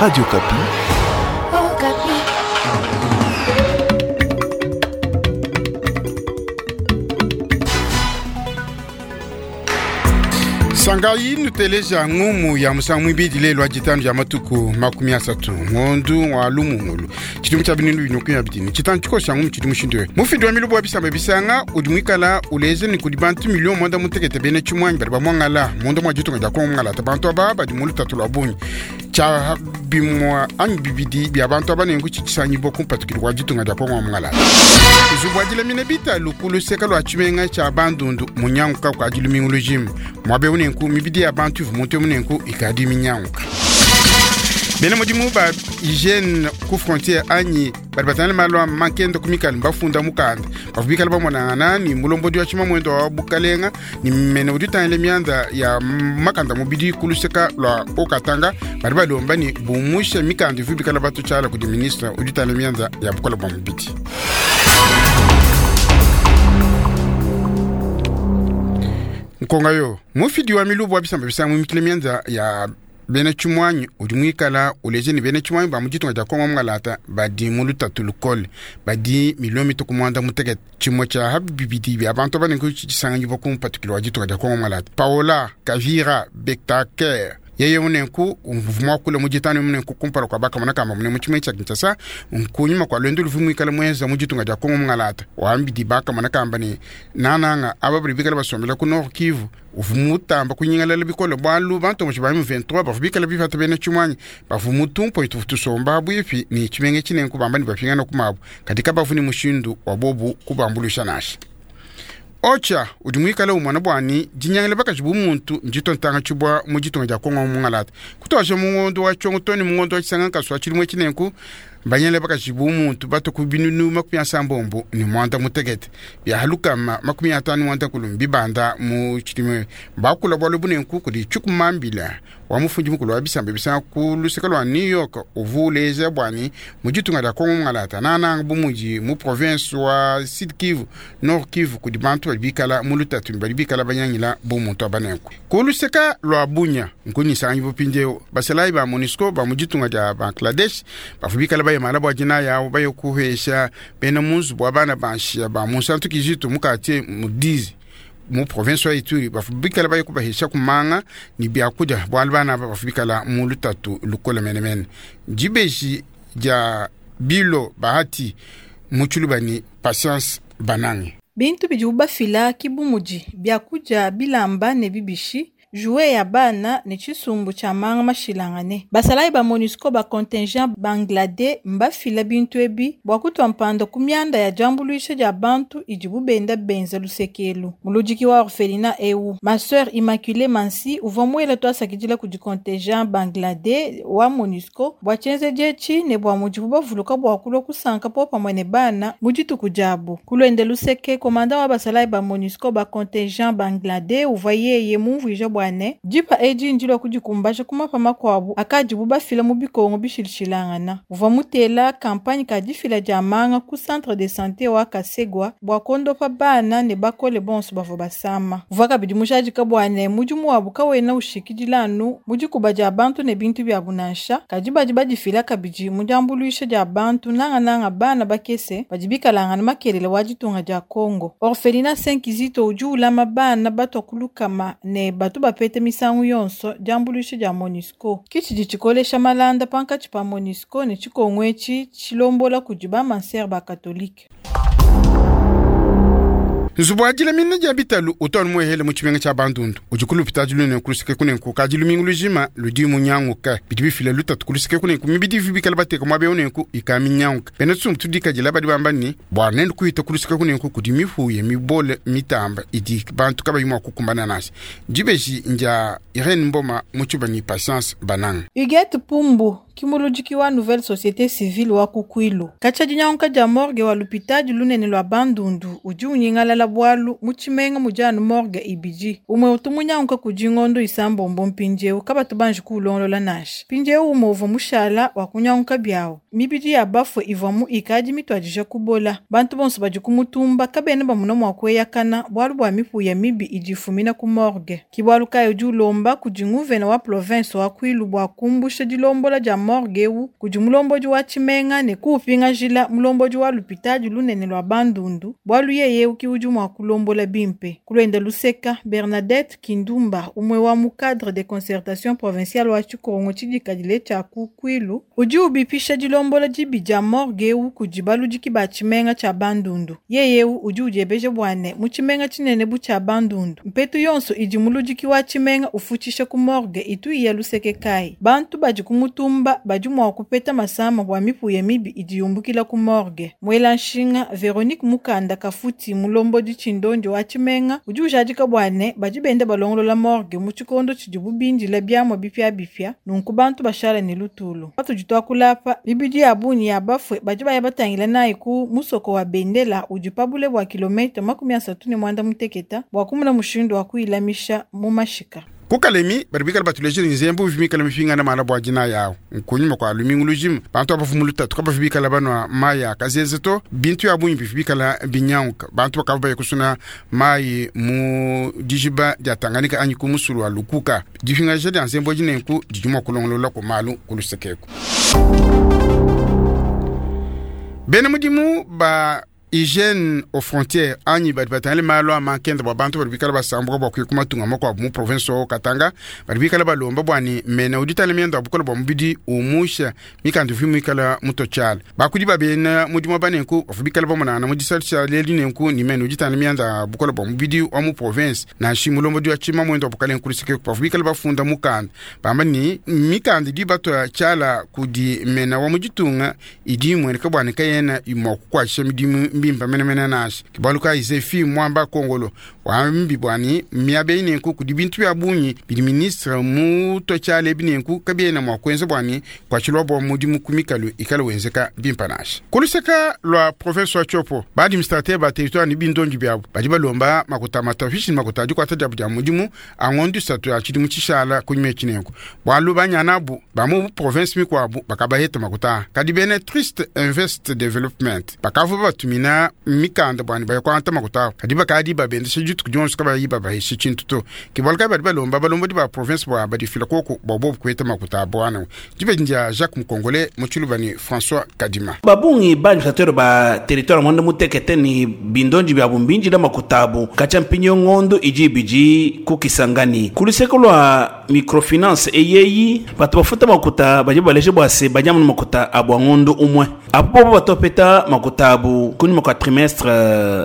Radio Okapi. Okapi. Sangayi nuteleja ngumu ya musangu mwibidi lelo wa ditanu dia matuku 30 ngondu wa lumungulu tshidimu tshia binunu binokumi ya bidini tshitanu tshikosa ngumu tshidi mushindu we mufidi wa milubu wa bisamba bisanga udi mwikala uleze ni kudi bantu milio mwanda mutekete bene tshimwanyi badi bamwangala munda mwa ditunga dia kongo mwangala bantu aba badi mu lutatu lua bungi tshia bimwa anyi bibidi bia bantu aba nenku tshitshisanyibo kumpatukili kwa ditunga dia kongo mwangala nzubu wa dilamina bitalu ku luseka lua tshimenga tshia bandundu munyanguka kua dilumingu lujima muaba eu nenku mibidi ya bantu ivu muntu eu nenku ikadi minyanguka. Bena mudimu ba hygiene ku frontiere anyi badi batangila malu a mankenda ku mikalu mbafunda mukanda bavua bikala bamonangana ni mulombodi wa tshimamwendo wa bukalenga ni mene udi utangila mianda ya makanda mubidi ku luseka lua Haut-Katanga badi balomba ni bumusha mikanda ivu bikala batu tshiala kudi ministre udi utangila mianda ya bukola bua mubidi. Nkonga yo mufidi wa milubu wa bisamba bisanga mumikile mianda ya bena tshimwanyi udi mwikala uleje ni bena tshimwanyi ba mu ditunga dia Kongo mungalata badi mu lutatu lukole badi milio mituku mwanda mutekete tshimue tshia ha bibidi bia bantu abanenku tshisanganyibwa ku mpatukilo wa ditunga dia Kongo mungalata Paola Kavira Betaker yeye munenku mwakula mu ditanu munenku kumpala kwa bakamona kamba mune mu tshimenga tshia Kinshasa nkunyuma kwa lwendo luvu mwikala mwenza mu ditunga dia Kongo mungalata wambidi bakamona kamba ni nananga aba bali bikala basombela ku Nord Kivu uvu mutamba kunyingalala bikole bwalu bantu mu ba M23 bavu bikala bifata bena tshimwanyi bavu mutumpo itu tusomba bwipi ni tshimenga tshinenku bamba ni bapingana kumabu katika bavu ni mushindu wa bobu kubambulusha nasha. Ocha udi mwikala umwana bwani dinyangila bakaji bumuntu njito ntanga tshibwa mu ditunga dia Kongo mungalata kutwasha mungondo wa tshongo toni mungondo wa tshisanga nkaswa tshilimwe tshinenku banyangila bakaji bumuntu bato ku binunu 70 ni mwanda mutekete bia halukama 50 mwanda kulu bibanda mu tshilimwe bakula bwalu bunenku kudi tshikumambila wa mufundi mukulu wa bisamba bisanga ku luseka lwa New York uvuleza bwani mu ditunga dia Kongo mungalata nananga bumuji mu province wa Sud Kivu Nord Kivu kudi bantu badi bikala mu lutatu badi bikala banyangila bumuntu abanenku ku luseka lwa Bunya nkunyisangi bupindeo basalayi ba MONUSCO ba mu ditunga dia Bangladesh bavu bikala bayemala bwa dina yawo baye kuhesha bena munzu bwa bana banshia ba munsantu kizitu mu quartier mu dizi mu province wa Ituri bavu bikala baye kubahesha kumanga ni byakudia bwalu bana aba bavu bikala mu lutatu lukola menemene dibeji dia bilo bahati muchulubani Patience Banange. Bintu bidibu bafila kibumudi byakudia bilamba ne bibishi jouet ya bana ne tshisumbu tshia manga mashilangane. Basalayi ba MONUSCO ba contingent Bangladesh mbafila bintu ebi bua kutua mpanda ku mianda ya diambuluisha dia bantu idibu benda benza lusekelu. Muludiki wa orphelinat eu ma sœur Immaculée Mansi uvua muele tuasakidila kudi contingent Bangladesh wa MONUSCO bua tshienzedi etshi ne bua mudibu bavuluka bua kulua kusanka popamue ne bana mu dituku diabu. Kuluende luseke komanda wa basalayi ba MONUSCO ba contingent Bangladesh uvua yeye mumvuija bua ne dipa edi ndilua kudikumbaja kumapa makuabu akadibu bafila mu bikongo bishilishilangana. Uvua mutela kampanye ka difila dia manga ku centre de santé wa Kasegwa bua kondopa bana ne bakole bonso bavua basama. Uvua kabidi mujadika bua ne mudimu wabu kawena ushikidila anu mu dikuba dia bantu ne bintu biabu nansha, kadi badi badifila kabidi mu diambuluisha dia bantu nangananga bana bakese badi bikalangana makelele wa ditunga dia Kongo. Orphelinat Saint Kizito udi ulama bana batua kulukama ne batu bapete misangu yonso diambuluisha dia MONUSCO. Kitshidi tshikolesha malanda pankatshi pa MONUSCO ne tshikongo etshi tshilombola kudi ba mansere ba katolike. Nzubu wa dilamina dia bitalu utwanu muehele mu tshimenga tshia Bandundu udi kulupita dilune kuluseke kunenku kadi lumingu lujima ludi munyanguka bidi bifila lutatu kuluseke kunenku mibidi vi bikala bateka muaba eu nenku ika minyanguka bena tsumbu tudikadila badi bamba ni bua nende kuhita kuluseke kunenku kudi mihuye mibole mitamba idi bantu kabayi mua kukumbana nasi. Dibeji ndia Irene Mboma mu tshibani Patience Bananga. Huguette Pumbu kimuludiki wa nouvelle société civile wa Kukwilu. Katshia dinyanguka dia morgue wa lupitadi lunene lua Bandundu udi unyingalala bwalu mu tshimenga mudi anu morgue ibidi. Umue utu munyanguka kudi ngondo isambombo mpindieu kabatu banji kuulongolola nansha. Mpindieu umue uvua mushala wa kunyanguka biawu. Mibidi ya bafue ivua mu ikadi mituadija kubola. Bantu bonso badi kumutumba kabena bamuna mua kueyakana bwalu bua mipuya mibi idi ifumina ku morgue. Ki bwalu kayi udi ulomba kudi nguvena wa province wa Kwilu bua kumbusha dilombola dia morgue eu kudi mulombodi wa tshimenga ne kuupingajila mulombodi wa lupitadi lunene lua Bandundu, bualu yeye eu ke udi mua kulombola bimpe. Ku luende luseka, Bernadette Kindumba, umue wa mu cadre de concertation provinciale wa tshikongo tshidikadile tshia ku Kwilu, udi ubipisha dilombola dibi dia morgue eu kudi baludiki ba tshimenga tshia Bandundu. Yeye eu udi udiebeja bua ne, mu tshimenga tshinene bu tshia Bandundu, mpetu yonso idi muludiki wa tshimenga ufutshisha ku morgue itu iya luseke kayi? Bantu badi ku mutumba badi mua kupeta masama bua mipuya mibi idi yumbukila ku morgue. Muela nshinga Veronique Mukanda Kafuti, mulombodi tshindondi wa tshimenga, udi ujadika bua ne, badi benda balongolola morgue mu tshikondo tshidibu bindila biamua bipiabipia, nunku bantu bashala ne lutulu. Patudi tuakula apa, mibidi ya bungi ya bafue badi baya batangila nayi ku musoko wa Bendela udi pa bule bua kilometre 38 bua kumona mushindu wa kuyilamisha mu mashika. Ku Kalemi, badi bikala batulejile nzembu ivua mikale mipingane mala bua dinaya awu. Nkunyima kua lumingu lujima, bantu abavua mu lutatu kabavua bikala banua mayi a kazeze to. Bintu bia bungi bivua bikala binyanguka. Bantu bakavua baya kusuna mayi mu dijiba dia Tanganyika anyi ku musulu wa Lukuka. Dipingaja dia nzembu edi nenku didi mua kulongolola ku malu ku luseke eku. Bena mudimu ba Hygiene aux frontières anyi badi batangile malu a mankenda bua bantu badi bikala basambuka bua kuya ku matunga makuabu mu province wa Katanga badi bikala balomba bua ne mena udi tangila mianda ya bukole bua mubidi umusha mikanda ivua muikala mutotshiala. Bakudi ba bena mudimu aba nenku bavua bikala bamonangana mu disalu tshia lelu nenku ne mena udi tangila mianda ya bukole bua mubidi wa mu province nansha mulombodi wa tshimamuende wa bukalenge ku luseke bavua bikala bafunda mukanda bamba ne mikanda idi batua tshiala kudi mena wa mu ditunga idi imueneka bua ne kayena mua kukuatshisha midimu mbimpe menemene nansha. Ke bualu kayi Zefi Mwamba Kongolo wambi bua ne miaba eyi nenku kudi bintu bia bungi bidi ministre mutue tshiala ebi nenku kabiena mua kuenza bua ne kuatshilua bua mudimu ku mikalu ikale wenzeka bimpe nansha. Ku luseka lua province wa Tshopo, ba administrateur ba territoire ne bindondi biabu badi balomba makuta a matafishi ne makuta a dikuata diabu dia mudimu a ngondo isatu ya tshidimu tshishala kunyima etshi nenku bualu banyanabu ba mu province mikuabu bakabaheta makuta. Kadi bena Trust Invest Development bakavua babatumina mikanda bua ne baya kuangata makuta abu, kadi bakadi babendesha dituku dionso kabayi babahesha tshintu to. Ke bualu kayi badi balomba balombodi ba province bua badifila koku bua bobu kuheta makuta abu ana. Dibeji ndia Jacques Mukongole mu Tshiluba ne François Kadima. Ba bungi ba administrateur ba territoire muanda mutekete ne bindonji biabu mbinjila makuta abu katshia mpindieu ngondo idi ibidi ku Kisangani. Ku luseke lua microfinance eyeyi batu bafuta makuta badi baleja bua se badi amu ne makuta abu a ngondo umue. Apu bobu batu bapeta makuta abu kunyima kua trimestre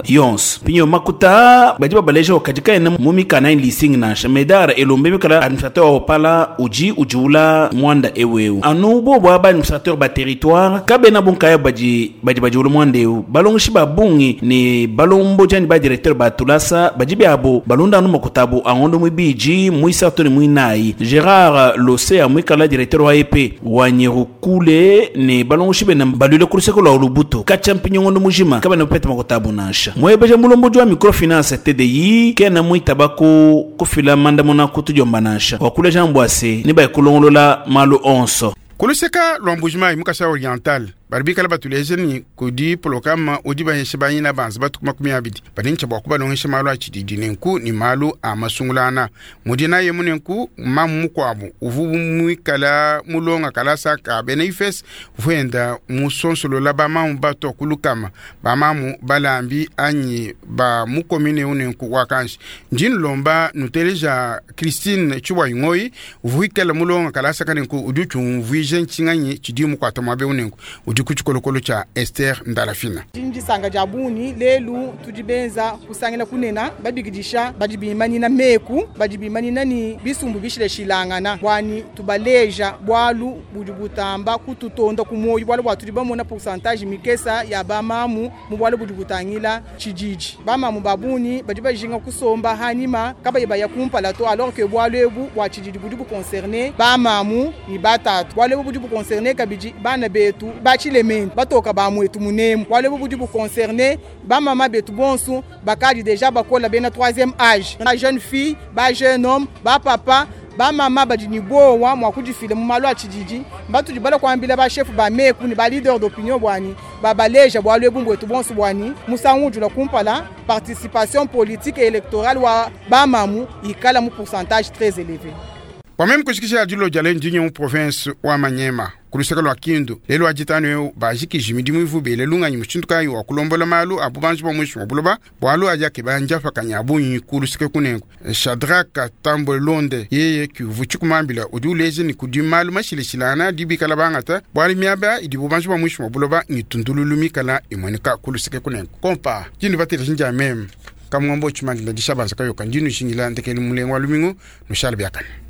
yonso. Mpindieu makuta aa badi babaleja kadi kaena mu mikanda anyi leasing nansha. Medar elombe bikala administrateur wa Opala udi udiula muanda eu eu. Anu bobu aba administrateur ba territoire kabena bu nkayabu badi badi badiula muanda eu. Balongeshi ba bungi ne balombodi anyi ba directeur ba tulasa badi biabu balonda anu makuta abu a ngondo muibidi, muisatu ne muinayi. Gerard Losea muikala directeur wa EP wa Nyerukule ne balongeshi bena baluile ku luseke lua Lubutu katshia mpindieu ngondo mujima kabena bapeta makuta abu nansha. Muebeja mulombodi wa microfinance TDI kena muitaba ku kufila mandamuna ku tudiomba nansha. Wakuleja bua se nebaye kulongolola malu onso. Ku luseka lua Mbuji-Mayi mu Kasai Oriental badi bikala batuleja ne kudi polokama udi bahesha banyina banza batuku 20 badi ne tshia bua kubalongesha malu a tshididi nenku ne malu a masungulana. Mu dinayi emu nenku mamu mukuabu uvua muikala mulonga kalasa ka bena IFES uvua enda musonsolola bamamu batua ku lukama bamamu balambi anyi ba mu commune eu nenku wakanji. Ndi nlomba nuteleja Christine Tshiwayi Ngoyi uvua wikala mulonga kalasa ka nenku udi utshiumvuija ntshinganyi tshidi mukuata muaba eu nenku udi ku tshikolokolo tshia Esther Ndalafina. Ndi ne disanka dia bungi lelu tudi benza kusangila kunena babikidisha badi bimanyina meku badi bimanyina ne bisumbu bishilashilangana buani tubaleja bualu budi butamba kututonda ku muoyo bualu bua tudi bamona pourcentage mikesa ya bamamu mu bualu budi butangila tshididi. Bamamu ba bungi badi bajinga kusomba hanyima kabayi baya kumpala to, alors que bualu ebu bua tshididi budi buconcerne bamamu ne batatu. Bualu ebu budi buconcerne kabidi bana betu ba tshilemende batoka ba muetu munemu. Bualu ebu budi buconcerne bamama betu bonso bakadi deja bakola bena 3e age, ba jeune fille, ba jeune homme, ba papa, bamama badi ne bowa mua kudifila mu malu a tshididi. Mbatudi bala kuambila ba chef ba meku ne ba leader d'opinion buani babaleja bualu ebu mbwetu bonso buani musangu ujula kumpala participation politique et électorale wa bamamu ikala mu pourcentage très élevé. Kwa meme kushikisha dilo dia leo ndinye mu province wa Manyema. Ku luseke lua Kindu, lelu wa ditanu eu bajikiji midimu ivu bele lunganyi mushindu kayi wa kulombola malu a bubanji bua muinshi mua buloba, bualu adi akeba ndiapakanyi a bungi ku luseke kunengu. Shadrack Tambwe Londe yeye kivu tshikumambila udi uleja ne kudi malu mashilashilangana adi bikala bangata bualu miaba idi bubanji bua muinshi mua buloba ngitundululu mikala imueneka ku luseke kunengu. Kompa dindu bateleji ndia meme kamwambo tshimandila dishabanza kayoka ndinu shingila ndekelu mulengo wa lumingu nushale biakane.